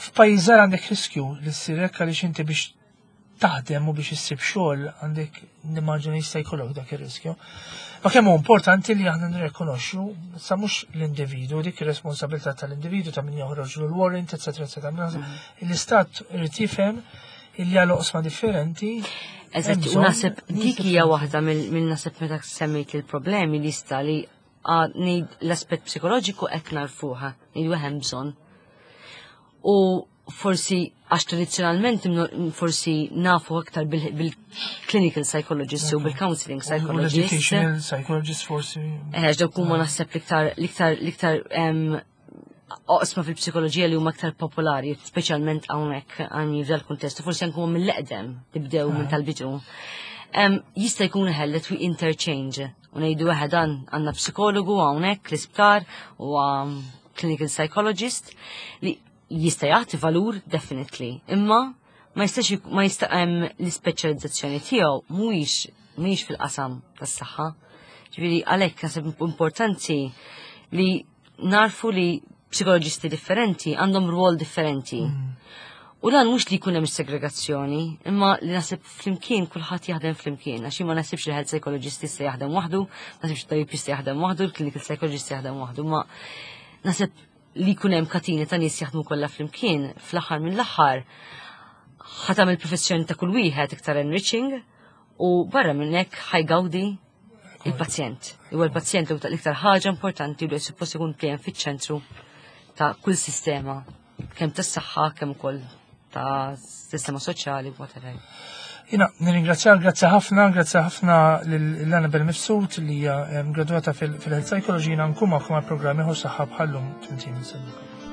F'pajjiż żgħar għandek riskju li ssir hekk għaliex inti biex taħdem u biex issib xogħol għandek, nimmaġina jista' jkollok dak ir-riskju. Ma kemm hu importanti li aħna nirrikonoxxu sa mhux l-individu, dik ir-responsabilità tal-individu, ta' min joħroġ l-warrant, eċetera, eċetera. L-istat irid jifhem illi għal oqsma differenti. Eżatt, hemm u bżonn naħseb dik hija waħda mill naħseb meta semmejt il-problemi li sta li għad ngħid l-aspett psikoloġiku qed narfuha, ngħidu hemm bżonn. U forsi għax tradizzjonalment imnu- forsi nafu aktar bil- bil-clinical psychologist u bil-counseling U psychologist. l-educational psychologist forsi. Eh, dawk huma naħseb l-iktar l-iktar l-iktar em, oqsma fil-psikoloġija li huma aktar popolari, speċjalment hawnhekk għani f'dal kuntest, u forsi anke huma mill-eqdem li bdew minn tal-bidu. Em, Jista' jkun ħellet we interchange u ngħidu eħe, dan għandna psikologu hawnhekk l-isptar u um, clinical psychologist li jista' jagħti valur definitely, imma ma jistax jik- ma jista' hemm l-ispeċjalizzazzjoni tiegħu mhuwiex mhuwiex fil-qasam tas-saħħa. Ġifieri għalhekk naħseb importanti li narfu li psikoloġisti differenti għandhom rwol differenti. U dan mhux li jkun hemm segregazzjoni, imma li naħseb flimkien kulħadd jaħdem flimkien, għax jien ma naħsibx li health psychologist jista' jaħdem waħdu, naħsibx tabib jista' jaħdem waħdu, il-clinical psychologist jaħdem waħdu, ma naħseb li jkun hemm katini ta' nies jaħdmu kollha flimkien, fl-aħħar mill-aħħar ħa tagħmel professjoni ta' kull wieħed iktar enriching u barra minn hekk ħa jgawdi il-pazjent. Huwa l-pazjent li l-iktar ħaġa importanti li suppost ikun dejjem fiċ-ċentru ta' kull sistema, kemm tas-saħħa, kemm ukoll ta' sistema soċjali, whatever. Jiena, nirringrazzjak, grazzi ħafna, grazzi ħafna l-Annabel Mifsud li hija em, graduata fil-Health Psychology. Jiena nkun magħkom għal programm ieħor Saħħa bħallum flimkien. Nsellimkom.